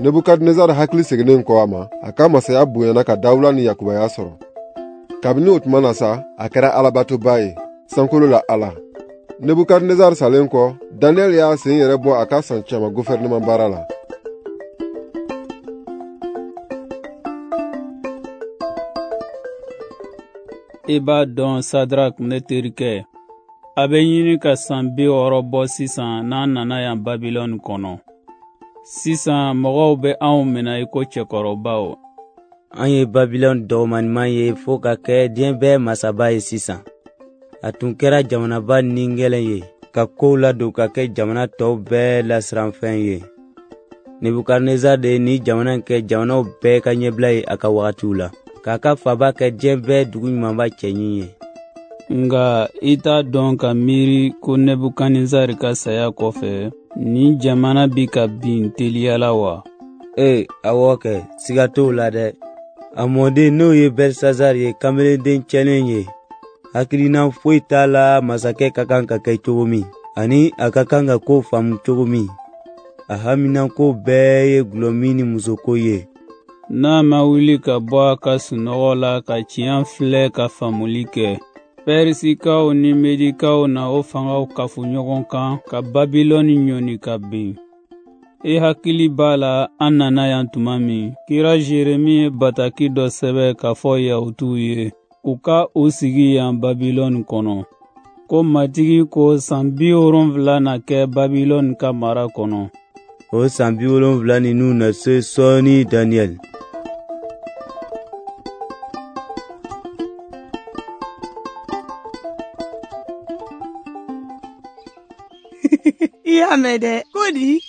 Nebukadnezar hakili seginnen kɔ a ma, a ka masaya bonyana ka dawula ni yakubaya sɔrɔ. Kabini o tuma na sa, a kɛra alabatoba ye, sankolo la Ala. Nebukadnezar salen kɔ, Daniɛl y'a sen yɛrɛ bɔ a ka san caman gofɛrɛnaman baara la. I b'a dɔn Sadrak, ne terikɛ, a bɛ ɲini ka san 60 bɔ sisan n'an nana yan Babilɔni kɔnɔ. Sisan mɔgɔw bɛ anw minɛ i ko cɛkɔrɔbaw. An ye Babilɔni dɔgɔmanima ye fo ka kɛ diɲɛ bɛɛ masaba ye sisan. A tun kɛra jamanaba ningɛlɛn ye ka kow ladon ka kɛ jamana tɔw bɛɛ lasiranfɛn ye. Nebukadnezar de ye ni jamana in kɛ jamanaw bɛɛ ka ɲɛbila ye a ka wagatiw la, k'a ka faaba kɛ diɲɛ bɛɛ dugu ɲumanba cɛɲi ye. Nka i t'a dɔn ka miiri ko Nebukadnezar ka saya kɔfɛ, nin jamana bi ka bin teliya la wa? Ee, awɔ kɛ, siga t'o la dɛ. A mɔden n'o ye Belsazar ye, kamelenden cɛlen ye. Hakilina foyi t'a la masakɛ ka kan ka kɛ cogo min, ani a ka kan ka ko faamu cogo min. A haminanko bɛɛ ye gulɔmin ni musoko ye. N'a ma wuli ka bɔ a ka sunɔgɔ la ka tiɲɛ filɛ ka faamuli kɛ, Pɛrisikaw ni Medikaw na o fangaw kafo ɲɔgɔn kan ka Babilɔni ɲɔni ka bin. I hakili b'a la an nana yan tuma min, kira Jeremi ye bataki dɔ sɛbɛn k'a fɔ Yahutuw ye, u ka u sigi yan Babilɔni kɔnɔ. Ko Matigi ko san 70 na kɛ Babilɔni ka mara kɔnɔ. O san 70 ninnu na se sɔɔni, Daniɛl. I y'a mɛn dɛ, ko di?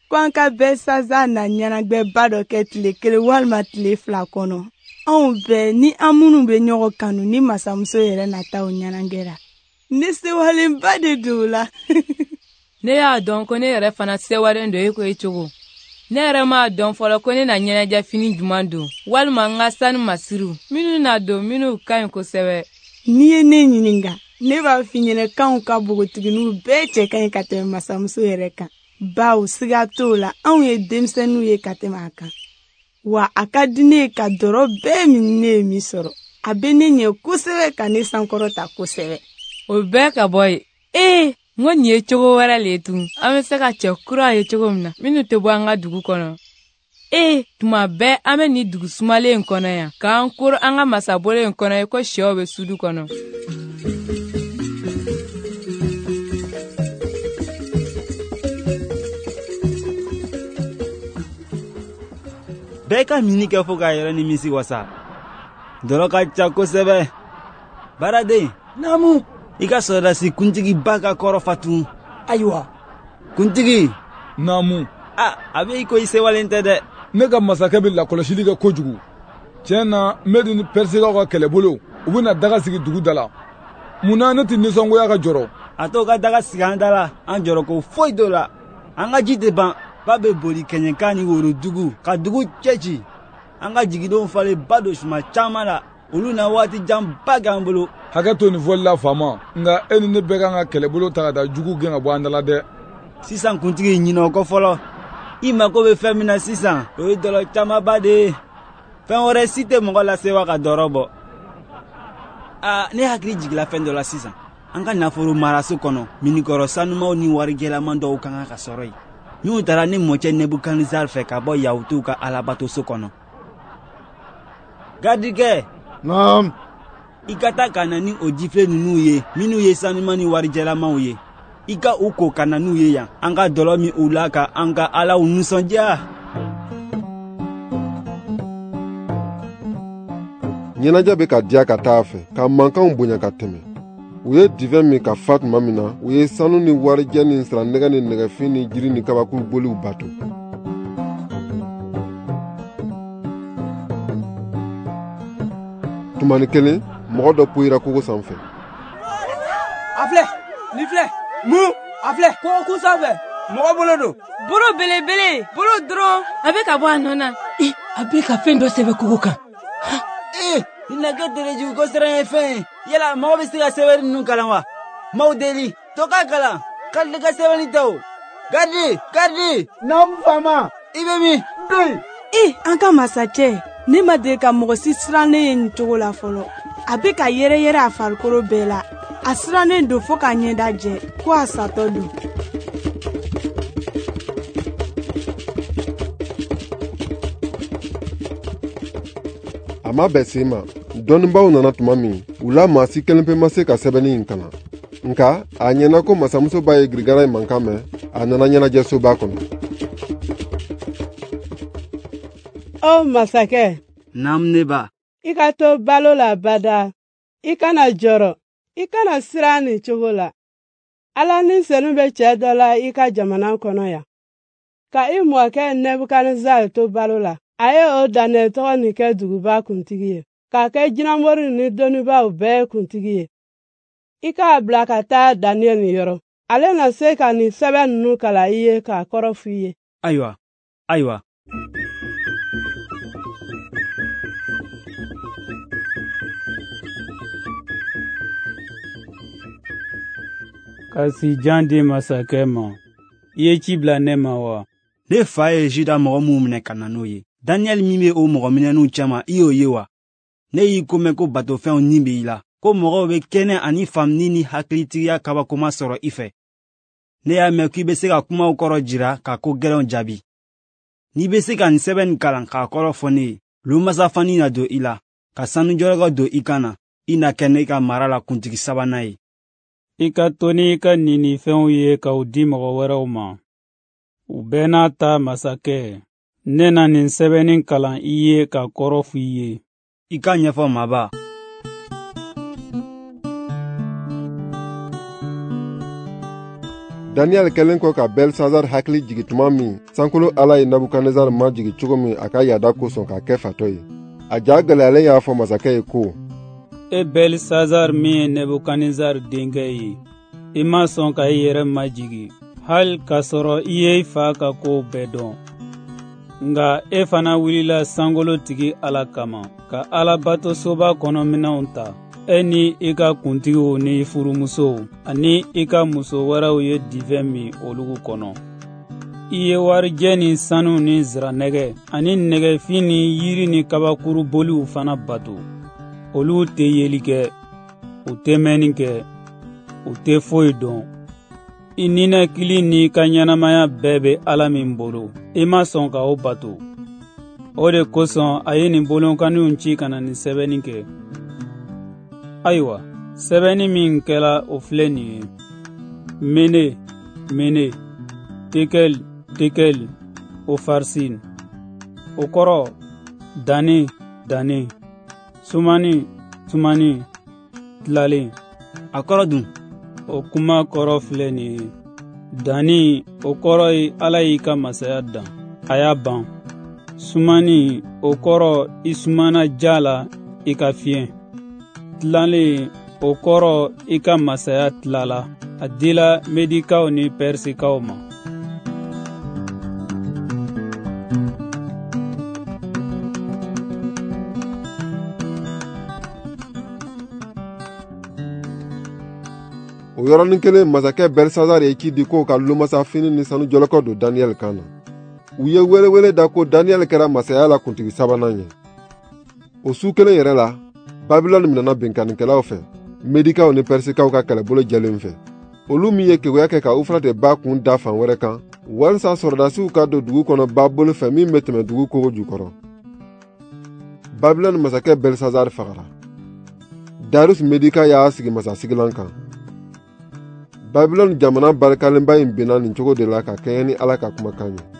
Ko an ka Belsazar na ɲɛnajɛba dɔ kɛ tile 1 walima tile 2 kɔnɔ. Anw bɛɛ ni an minnu bɛ ɲɔgɔn kanu ni masamuso yɛrɛ na taa o ɲɛnajɛ la. Ne sewalenba de don o la. Ne y'a dɔn ko ne yɛrɛ fana sewalen don e ko e cogo. Ne yɛrɛ m'a dɔn fɔlɔ ko ne na ɲɛnajɛ fini jumɛn don, walima n ka sanu masiriw minnu na don minnu ka ɲi kosɛbɛ. N'i ye ne ɲininka, ne b'a f'i ɲɛna k'anw ka npogotigininw bɛɛ cɛ ka ɲi ka tɛmɛ masamuso yɛrɛ kan. Bawo siga t'o la, anw ye denmisɛnninw ye ka tɛmɛ a kan. Wa a ka di ne ye ka dɔrɔ bɛɛ min ne ye min sɔrɔ. A bɛ ne ɲɛ kosɛbɛ ka ne sankɔrɔta kosɛbɛ. O bɛɛ ka bɔ yen. Ee, n ko nin ye cogo wɛrɛ le ye tun. An bɛ se ka cɛ kura ye cogo min na, minnu tɛ bɔ an ka dugu kɔnɔ. Ee, tuma bɛɛ an bɛ nin dugu sumalen in kɔnɔ yan, k'an koro an ka masabolo in kɔnɔ i ko sɛw bɛ sudu kɔnɔ. Bɛɛ ka minni kɛ fo k'a yɛrɛ nimisi wasa. Dɔlɔ ka ca kosɛbɛ. Baaraden. Naamu. I ka sɔrɔdasi kuntigiba ka kɔrɔ fatun. Ayiwa. Kuntigi. Naamu. A bɛ i ko i sewalen tɛ dɛ. Ne ka masakɛ bɛ lakɔlɔsili kɛ kojugu. Tiɲɛ na, Medi ni Pɛrisikaw ka kɛlɛbolo, u bɛna daga sigi dugu da la. Mun na ne tɛ nisɔngoya ka jɔrɔ? A t'o ka daga sigi an da la, an jɔrɔ ko foyi t'o la. An ka ji tɛ ban. Ba bɛ boli kɛɲɛka ni worodugu ka dugu cɛci. An ka jigidenw falen ba don suma caman la. Olu na waati janba kɛ an bolo. Hakɛ to nin fɔli la faama, nka e ni ne bɛɛ kan ka kɛlɛbolo ta ka taa jugu gɛn ka bɔ an da la dɛ. Sisan kuntigi, ɲinɛ o kɔ fɔlɔ. I mako bɛ fɛn min na sisan, o ye dɔlɔ camanba de ye. Fɛn wɛrɛ si tɛ mɔgɔ lasewa ka dɔrɔ bɔ. Ne hakili jigila fɛn dɔ la sisan. An ka nafolo maraso kɔnɔ, minikɔrɔ sanumaw ni warijɛlaman dɔw ka kan ka sɔrɔ yen. Minnu taara ne mɔcɛ Nebukadnezar fɛ ka bɔ Yahutuw ka alabatoso kɔnɔ. Garidikɛ. Naam. I ka taa ka na ni o jifilen ninnu ye, minnu ye sanuman ni warijɛlamaw ye. I ka u ko ka na n'u ye yan. An ka dɔlɔ min u la ka an ka alaw nisɔndiya. Ɲɛnajɛ bɛ ka diya ka taa a fɛ, ka mankanw bonya ka tɛmɛ. U ye divɛn min ka fa tuma min na, u ye sanu ni warijɛ ni nsiranɛgɛ ni nɛgɛfin ni jiri ni kabakuru boliw bato. Tumani kelen, mɔgɔ dɔ poyira kogo sanfɛ. A filɛ, nin filɛ, mun, a filɛ, kogokun sanfɛ, mɔgɔ bolo don. Bolo belebele, bolo dɔrɔn, a bɛ ka bɔ a nɔ na. A bɛ ka fɛn dɔ sɛbɛn kogo kan. Nin na kɛ terejugu ko siran ye fɛn ye. Yala mɔgɔ bɛ se ka sɛbɛnni ninnu kalan wa? M'aw deli, to ka kalan, Kalide ka sɛbɛnni tɛ o. Garidi, garidi. Naamu faama. I bɛ min? N bɛ yen. E, an ka masacɛ, ne ma deli ka mɔgɔ si sirannen ye nin cogo la fɔlɔ. A bɛ ka yɛrɛyɛrɛ a farikolo bɛɛ la. A sirannen don fo k'a ɲɛda jɛ, ko a satɔ don. A ma bɛn sen ma. Dɔnnibaaw nana tuma min, u la maa si kelen pe ma se ka sɛbɛnni in kalan. Nka a ɲɛna ko masamusoba ye girigara in mankan mɛn, a nana ɲɛnajɛsoba kɔnɔ. O masakɛ. Naamu ne ba. I ka to balo la bada. I kana jɔrɔ. I kana siran nin cogo la. Ala ni senu bɛ cɛ dɔ la i ka jamana kɔnɔ yan. Ka i mɔkɛ Nebukadnezar to balo la, a ye o Daniyɛli tɔgɔ nin kɛ duguba kuntigi ye, k'a kɛ jinɛmoriw ni dɔnnibaaw bɛɛ kuntigi ye. I k'a bila ka taa Daniyɛli yɔrɔ. Ale na se ka nin sɛbɛn ninnu kalan i ye k'a kɔrɔ f'i ye. Ayiwa, ayiwa. Ka sijan di masakɛ ma. I ye ci bila ne ma wa? Ne fa ye Juda mɔgɔ minw minɛ ka na n'o ye. Daniyɛli min bɛ o mɔgɔ minɛnenw cɛma, i y'o ye wa? Ne y'i ko mɛn ko batofɛnw ni bɛ i la, ko mɔgɔw bɛ kɛnɛ ani faamuni ni hakilitigiya kabakoma sɔrɔ i fɛ. Ne y'a mɛn k'i bɛ se ka kumaw kɔrɔ jira ka ko gɛlɛnw jaabi. N'i bɛ se ka nin sɛbɛn nin kalan k'a kɔrɔ fɔ ne ye, lomasafani na don i la, ka sanujɔlɔkɔ don i kan na, i na kɛ ne ka mara la kuntigi sabanan ye. I ka to n'i ka ninifɛnw ye ka u di mɔgɔ wɛrɛw ma. U bɛɛ n'a ta masakɛ, ne na nin sɛbɛnni kalan i ye k'a kɔrɔ f'i ye. I k'a ɲɛfɔ maaba. Daniyɛli kɛlen kɔ ka Belsazar hakili jigi tuma min, sankolo Ala ye Nebukadnezar majigi cogo min a ka yaada kosɔn k'a kɛ fatɔ ye. A ja gɛlɛyalen y'a fɔ masakɛ ye ko: E Belsazar min ye Nebukadnezar denkɛ ye, i ma sɔn ka i yɛrɛ majigi, hali k'a sɔrɔ i ye i fa ka kow bɛɛ dɔn. Nka e fana wulila sankolotigi Ala kama, ka Alabatosoba kɔnɔminɛnw ta. E ni i ka kuntigiw ni i furumusow ani i ka muso wɛrɛw ye divɛn min olugu kɔnɔ. I ye warijɛ ni sanu ni nsiranɛgɛ ani nɛgɛfin ni yiri ni kabakuru boliw fana bato. Olu tɛ yeli kɛ, u tɛ mɛnni kɛ, u tɛ foyi dɔn. I ninakili n'i ka ɲɛnamaya bɛɛ bɛ Ala min bolo, i ma sɔn ka o bato. O de kosɔn a ye nin bolonkaniw ci ka na nin sɛbɛnni kɛ. Ayiwa, sɛbɛnni min kɛla o filɛ nin ye: Mene, Mene, Tekel, Tekel, Ofarsin. O kɔrɔ, danni, danni, sumani, sumani, tilalen. A kɔrɔ dun? O kuma kɔrɔ filɛ nin ye: danni, o kɔrɔ ye Ala y'i ka masaya dan, a y'a ban. Sumani, o kɔrɔ i sumana ja la, i ka fiɲɛ. Tilalen, o kɔrɔ i ka masaya tilala, a dila Medikaw ni Pɛrisikaw ma. O yɔrɔnin kelen masakɛ Belsazar ye ci di k'o ka lomasafini ni sanujɔlɔkɔ don Daniyɛli kan na. U ye welewele da ko Daniyɛli kɛra masaya la kuntigi sabanan ye. O su kelen yɛrɛ la, Babilɔni minɛna binkannikɛlaw fɛ, Medikaw ni Pɛrisikaw ka kɛlɛbolo jɛlen fɛ. Olu min ye keguya kɛ ka Ufrate ba kun da fan wɛrɛ kan, walisa sɔrɔdasiw ka don dugu kɔnɔ ba bolo fɛ min bɛ tɛmɛ dugu kogo jukɔrɔ. Babilɔni masakɛ Belsazar fagara. Darius Medika y'a sigi masasigilan kan. Babilɔni jamana barikalenba in binna nin cogo de la ka kɛɲɛ ni Ala ka kumakan ye.